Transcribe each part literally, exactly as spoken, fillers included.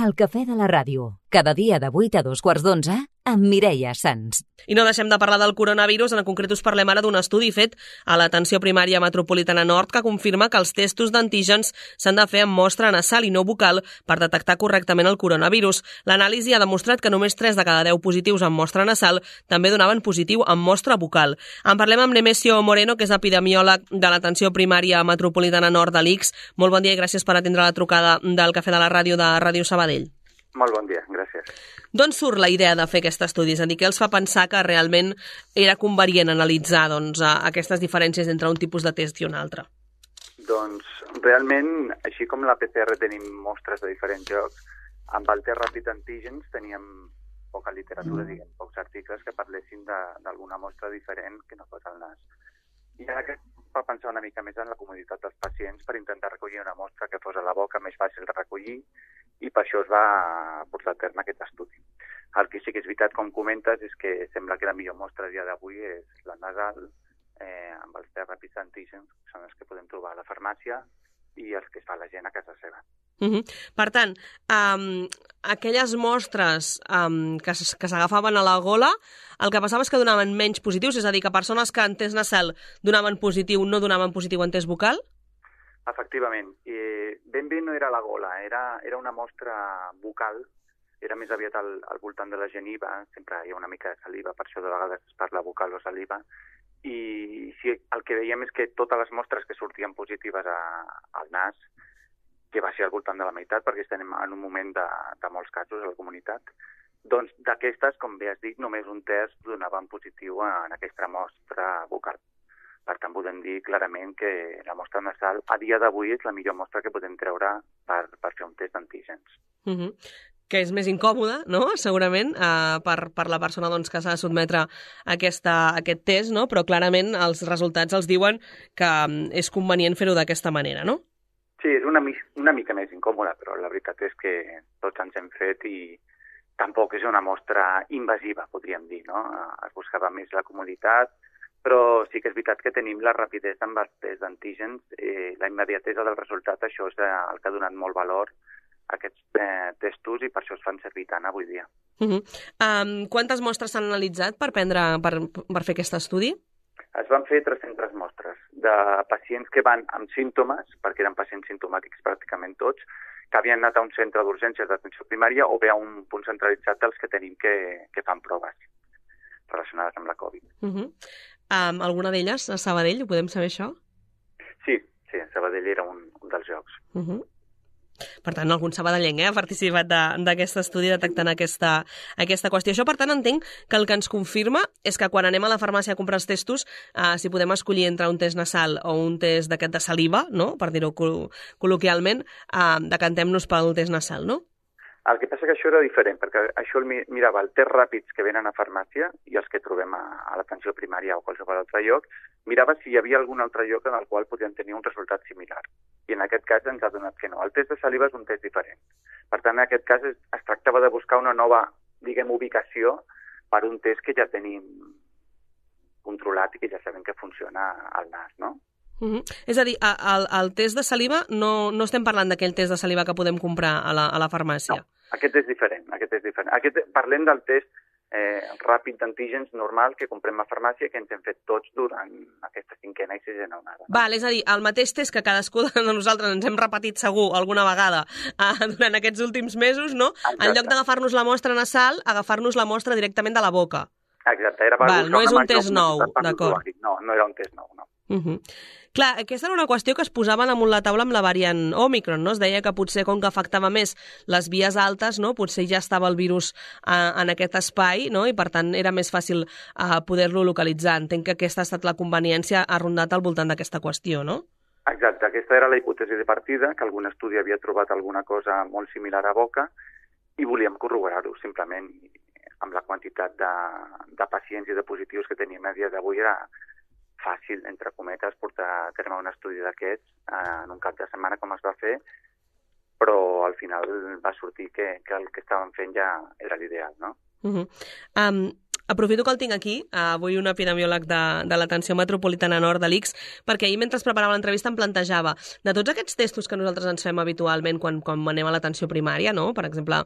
El cafè de la ràdio, cada dia de vuit a dos quarts d'onze, amb Mireia Sans. I no deixem de parlar del coronavirus, en concret us parlem ara d'un estudi fet a l'Atenció Primària Metropolitana Nord que confirma que els testos d'antígens s'han de fer amb mostra nasal i no bucal per detectar correctament el coronavirus. L'anàlisi ha demostrat que només tres de cada deu positius amb mostra nasal també donaven positiu amb mostra bucal. En parlem amb Nemesio Moreno, que és epidemiòleg de l'Atenció Primària Metropolitana Nord de l'I C S. Molt bon dia i gràcies per atendre la trucada del Cafè de la Ràdio de Ràdio Sabadell. Molt bon dia, gràcies. D'on surt la idea de fer aquest estudi? És a dir, què els fa pensar que realment era convenient analitzar doncs, aquestes diferències entre un tipus de test i un altre? Doncs realment, així com la P C R tenim mostres de diferents llocs, amb el test ràpid d'antígens teníem poca literatura, mm. diguem, pocs articles que parlessin d'alguna mostra diferent que no fos el nas. I ara que fa pensar una mica més en la comoditat dels pacients per intentar recollir una mostra que fos a la boca més fàcil de recollir, i per això es va portar a terme aquest estudi. El que sí que és veritat, com comentes, és que sembla que la millor mostra a dia d'avui és la nasal, eh, amb els tests ràpids d'antígens, que són els que podem trobar a la farmàcia, i els que es fa la gent a casa seva. Uh -huh. Per tant, um, aquelles mostres um, que s'agafaven a la gola, el que passava és que donaven menys positius, és a dir, que persones que en test nasal donaven positiu no donaven positiu en test bucal? Efectivament. I ben bé no era la gola, era, era una mostra bucal, era més aviat al, al voltant de la geniva, sempre hi ha una mica de saliva, per això de vegades es parla bucal o saliva, i sí, el que veiem és que totes les mostres que sortien positives a, al nas, que va ser al voltant de la meitat, perquè estem en un moment de, de molts casos a la comunitat, doncs d'aquestes, com bé has dit, només un test donava en positiu en aquesta mostra bucal. Per tant, podem dir clarament que la mostra nasal a dia d'avui és la millor mostra que podem treure per, per fer un test d'antígens. Uh -huh. Que és més incòmode, no?, segurament, eh, per, per la persona doncs, que s'ha de sotmetre a, aquesta, a aquest test, no?, però clarament els resultats els diuen que um, és convenient fer-ho d'aquesta manera, no? Sí, és una, una mica més incòmode, però la veritat és que tots ens hem fet i tampoc és una mostra invasiva, podríem dir, no? Es buscava més la comoditat, però sí que és veritat que tenim la rapidesa amb els tests d'antígens, eh, la immediatesa del resultat, això és el que ha donat molt valor a aquests eh, testos i per això es fan servir tant avui dia. Uh -huh. um, quantes mostres s'han analitzat per, prendre, per, per fer aquest estudi? Es van fer tres-centes mostres de pacients que van amb símptomes, perquè eren pacients simptomàtics pràcticament tots, que havien anat a un centre d'urgències d'atenció primària o bé a un punt centralitzat dels que tenim que, que fan proves relacionades amb la Covid. Uh -huh. um, alguna d'elles a Sabadell, ho podem saber això? Sí, sí, Sabadell era un, un dels llocs. Uh -huh. Per tant, algun sabadellenc eh, ha participat d'aquest estudi detectant aquesta, aquesta qüestió. Això, per tant, entenc que el que ens confirma és que quan anem a la farmàcia a comprar els testos, eh, si podem escollir entre un test nasal o un test d'aquest de saliva, no?, per dir-ho col col·loquialment, eh, decantem-nos pel test nasal, no? El que passa que això era diferent, perquè això el mirava el test ràpids que venen a farmàcia i els que trobem a, a l'atenció primària o qualsevol altre lloc, mirava si hi havia algun altre lloc en el qual podien tenir un resultat similar. I en aquest cas ens ha donat que no. El test de saliva és un test diferent. Per tant, en aquest cas es, es tractava de buscar una nova, diguem, ubicació per un test que ja tenim controlat i que ja sabem que funciona al nas, no? Uh -huh. És a dir, el, el test de saliva, no, no estem parlant d'aquell test de saliva que podem comprar a la, a la farmàcia. No, aquest és diferent, aquest és diferent. Aquest, parlem del test eh, ràpid d'antígens normal que comprem a farmàcia que ens hem fet tots durant aquesta cinquena i sisena onada. No? Val, és a dir, el mateix test que cadascú de nosaltres ens hem repetit segur alguna vegada eh, durant aquests últims mesos, no? Exacte. En lloc d'agafar-nos la mostra nasal, agafar-nos la mostra directament de la boca. Exacte. Era Val, no és un test nou, d'acord. No, no era un test nou, no. Uh -huh. Clar, aquesta era una qüestió que es posava damunt la taula amb la variant Òmicron, no? Es deia que potser com que afectava més les vies altes, no? Potser ja estava el virus eh, en aquest espai, no? I per tant era més fàcil eh, poder-lo localitzar. Entenc que aquesta ha estat la conveniència, ha rondat al voltant d'aquesta qüestió, no? Exacte, aquesta era la hipòtesi de partida, que algun estudi havia trobat alguna cosa molt similar a boca i volíem corroborar-ho simplement amb la quantitat de, de pacients i de positius que tenim a dia d'avui era fàcil, entre cometes, portar a terme un estudi d'aquests eh, en un cap de setmana com es va fer, però al final va sortir que, que el que estàvem fent ja era l'ideal, no? Uh -huh. um, Aprofito que el tinc aquí, avui un epidemiòleg de, de l'Atenció Metropolitana Nord de l'I C S, perquè ahir mentre preparava l'entrevista em plantejava de tots aquests testos que nosaltres ens fem habitualment quan, quan anem a l'atenció primària, no? Per exemple,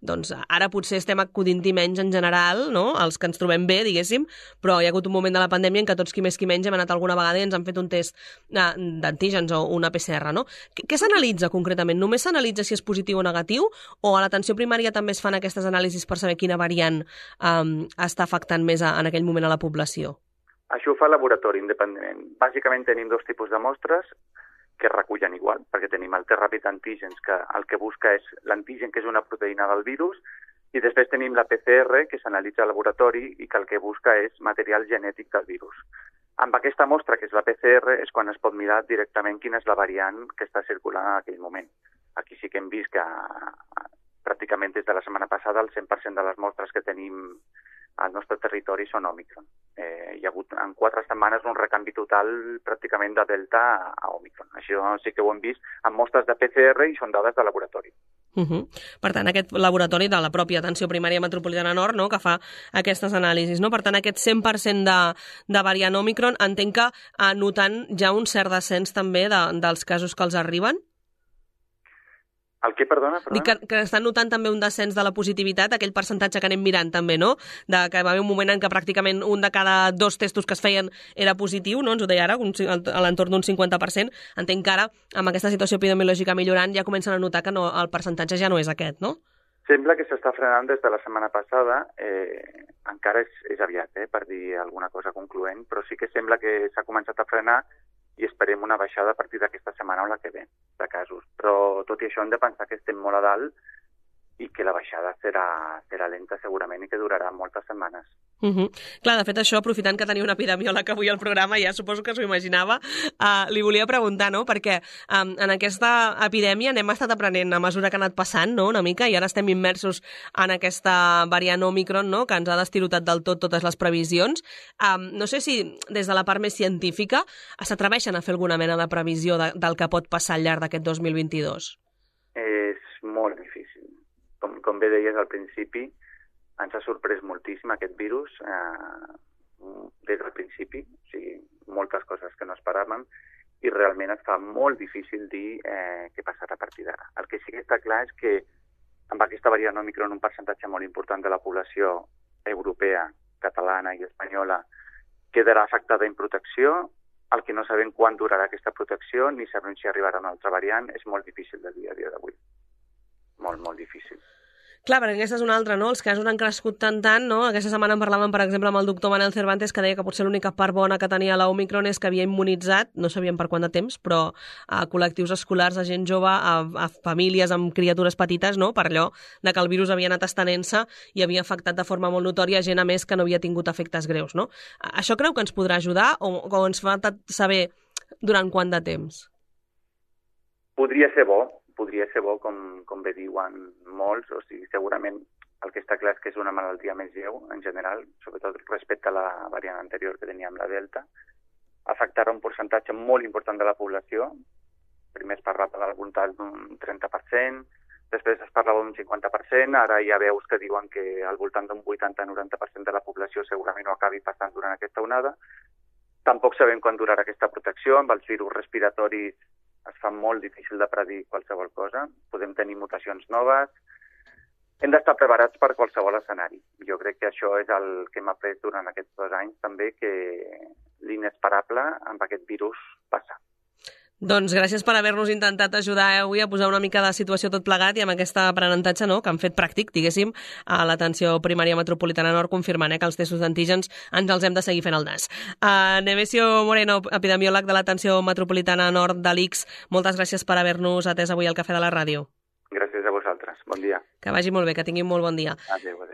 doncs ara potser estem acudint-hi menys en general, no? Els que ens trobem bé, diguéssim, però hi ha hagut un moment de la pandèmia en què tots qui més qui menys hem anat alguna vegada i ens han fet un test d'antígens o una P C R, no? Què, què s'analitza concretament? Només s'analitza si és positiu o negatiu, o a l'atenció primària també es fan aquestes anàlisis per saber quina variant um, està afectant més a, en aquell moment a la població? Això ho fa el laboratori independentment. Bàsicament tenim dos tipus de mostres que es recullen igual, perquè tenim el test ràpid d'antígens, que el que busca és l'antígen, que és una proteïna del virus, i després tenim la P C R, que s'analitza al laboratori i que el que busca és material genètic del virus. Amb aquesta mostra, que és la P C R, és quan es pot mirar directament quina és la variant que està circulant en aquell moment. Aquí sí que hem vist que pràcticament des de la setmana passada el cent per cent de les mostres que tenim al nostre territori són Òmicron. Eh, hi ha hagut en quatre setmanes un recanvi total pràcticament de Delta a, a Òmicron. Això sí que ho hem vist amb mostres de P C R i són dades de laboratori. Uh -huh. Per tant, aquest laboratori de la pròpia Atenció Primària Metropolitana Nord, no?, que fa aquestes anàlisis, no? Per tant, aquest cent per cent de, de variant Òmicron, entenc que eh, notant ja un cert descens també de, dels casos que els arriben? El què, perdona? perdona? Dic que, que estan notant també un descens de la positivitat, aquell percentatge que anem mirant també, no? De que va haver un moment en què pràcticament un de cada dos testos que es feien era positiu, no? Ens ho deia ara, un, a l'entorn d'un cinquanta per cent. Entenc que ara, amb aquesta situació epidemiològica millorant, ja comencen a notar que no, el percentatge ja no és aquest, no? Sembla que s'està frenant des de la setmana passada. Eh, encara és, és aviat, eh, per dir alguna cosa concloent, però sí que sembla que s'ha començat a frenar i esperem una baixada a partir d'aquesta setmana o la que ve de casos. Però tot i això hem de pensar que estem molt a dalt i que la baixada serà, serà lenta segurament i que durarà moltes setmanes. Uh -huh. Clar, de fet això, aprofitant que tenia un epidemiòleg avui al programa, ja suposo que s'ho imaginava, uh, li volia preguntar, no?, perquè um, en aquesta epidèmia n'hem estat aprenent a mesura que ha anat passant, no?, una mica, i ara estem immersos en aquesta variant Òmicron, no?, que ens ha destirotat del tot totes les previsions. Um, no sé si des de la part més científica s'atreveixen a fer alguna mena de previsió de, del que pot passar al llarg d'aquest dos mil vint-i-dos. És molt difícil. Com, com bé deies al principi, ens ha sorprès moltíssim aquest virus eh, des del principi, o sigui, moltes coses que no esperàvem, i realment es fa molt difícil dir eh, què passarà a partir d'ara. El que sí que està clar és que amb aquesta variant Òmicron un percentatge molt important de la població europea, catalana i espanyola quedarà afectada en protecció. El que no sabem quan durarà aquesta protecció ni sabem si arribarà una altra variant és molt difícil de dir a dia d'avui. Molt, molt difícil. Clar, perquè aquesta és una altra, no? Els casos han crescut tant, tant, no? Aquesta setmana en parlàvem, per exemple, amb el doctor Manel Cervantes, que deia que potser l'única part bona que tenia l'Òmicron és que havia immunitzat, no sabíem per quant de temps, però a col·lectius escolars, a gent jove, a, a famílies amb criatures petites, no?, per allò de que el virus havia anat estenent-se i havia afectat de forma molt notòria gent, a més, que no havia tingut efectes greus, no? Això creu que ens podrà ajudar o, o ens fa saber durant quant de temps? Podria ser bo. podria ser bo, com, com bé diuen molts, o sigui, segurament el que està clar és que és una malaltia més lleu, en general, sobretot respecte a la variant anterior que teníem, la Delta. Afectarà un percentatge molt important de la població. Primer es parlava del voltant d'un trenta per cent, després es parlava d'un cinquanta per cent, ara hi ha veus que diuen que al voltant d'un vuitanta a noranta per cent de la població segurament ho acabi passant durant aquesta onada. Tampoc sabem quan durarà aquesta protecció, amb els virus respiratoris es fa molt difícil de predir qualsevol cosa. Podem tenir mutacions noves. Hem d'estar preparats per qualsevol escenari. Jo crec que això és el que hem après durant aquests dos anys també, que l'inesperable amb aquest virus passa. Doncs gràcies per haver-nos intentat ajudar avui a posar una mica de situació tot plegat i amb aquest aprenentatge, no?, que han fet pràctic, diguéssim, a l'Atenció Primària Metropolitana Nord, confirmant eh, que els testos d'antígens ens els hem de seguir fent al nas. Uh, Nemesio Moreno, epidemiòleg de l'Atenció Metropolitana Nord de l'I C S, moltes gràcies per haver-nos atès avui al Cafè de la Ràdio. Gràcies a vosaltres. Bon dia. Que vagi molt bé, que tinguin molt bon dia. Adéu.